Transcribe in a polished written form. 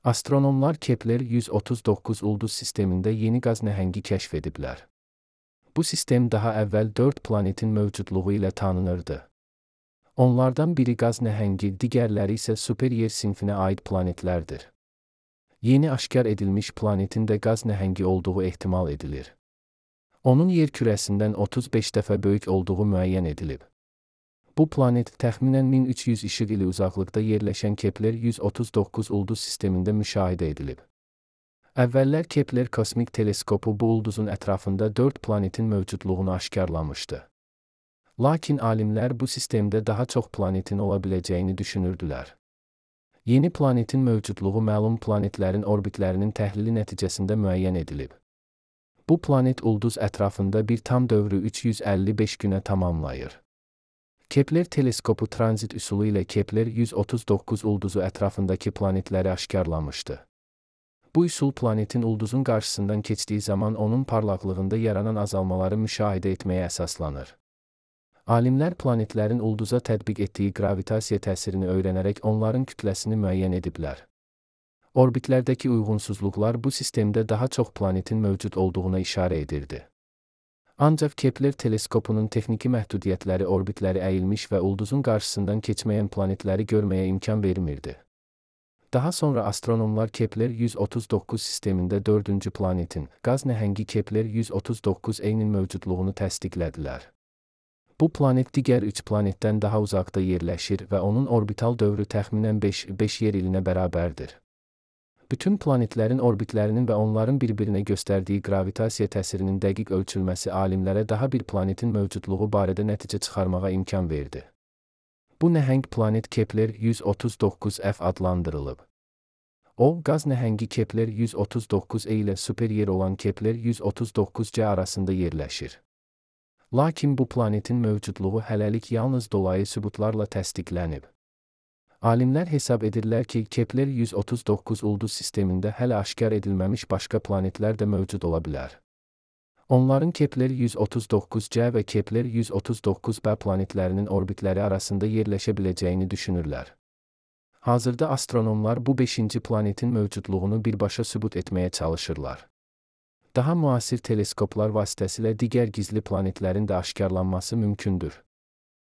Astronomlar Kepler 139 ulduz sistemində yeni qaz nəhəngi kəşf ediblər. Bu sistem daha əvvəl 4 planetin mövcudluğu ilə tanınırdı. Onlardan biri qaz nəhəngi, digərləri isə super-yer sinfinə aid planetlərdir. Yeni aşkar edilmiş planetin də qaz nəhəngi olduğu ehtimal edilir. Onun yer kürəsindən 35 dəfə böyük olduğu müəyyən edilib. Bu planet təxminən 1300 işıq ili uzaqlıqda yerləşən Kepler 139 ulduz sistemində müşahidə edilib. Əvvəllər Kepler kosmik teleskopu bu ulduzun ətrafında 4 planetin mövcudluğunu aşkarlamışdı. Lakin alimlər bu sistemdə daha çox planetin ola biləcəyini düşünürdülər. Yeni planetin mövcudluğu məlum planetlərin orbitlərinin təhlili nəticəsində müəyyən edilib. Bu planet ulduz ətrafında bir tam dövrü 355 günə tamamlayır. Kepler teleskopu tranzit üsulu ilə Kepler 139 ulduzu ətrafındakı planetləri aşkarlamışdı. Bu üsul planetin ulduzun qarşısından keçdiyi zaman onun parlaqlığında yaranan azalmaları müşahidə etməyə əsaslanır. Alimlər planetlərin ulduza tətbiq etdiyi gravitasiya təsirini öyrənərək onların kütləsini müəyyən ediblər. Orbitlərdəki uyğunsuzluqlar bu sistemdə daha çox planetin mövcud olduğuna işarə edirdi. Ancaq Kepler teleskopunun texniki məhdudiyyətləri orbitləri əyilmiş və ulduzun qarşısından keçməyən planetləri görməyə imkan vermirdi. Daha sonra astronomlar Kepler 139 sistemində 4-cü planetin, qaz nəhəngi Kepler 139-nin mövcudluğunu təsdiqlədilər. Bu planet digər 3 planetdən daha uzaqda yerləşir və onun orbital dövrü təxminən 5 yer ilinə bərabərdir. Bütün planetlərin orbitlərinin və onların bir-birinə göstərdiyi gravitasiya təsirinin dəqiq ölçülməsi alimlərə daha bir planetin mövcudluğu barədə nəticə çıxarmağa imkan verdi. Bu nəhəng planet Kepler 139f adlandırılıb. O, qaz nəhəngi Kepler 139e ilə super-yer olan Kepler 139c arasında yerləşir. Lakin bu planetin mövcudluğu hələlik yalnız dolayı sübutlarla təsdiqlənib. Alimlər hesab edirlər ki, Kepler 139 ulduz sistemində hələ aşkar edilməmiş başqa planetlər də mövcud ola bilər. Onların Kepler 139c və Kepler 139b planetlərinin orbitləri arasında yerləşə biləcəyini düşünürlər. Hazırda astronomlar bu 5-ci planetin mövcudluğunu birbaşa sübut etməyə çalışırlar. Daha müasir teleskoplar vasitəsilə digər gizli planetlərin də aşkarlanması mümkündür.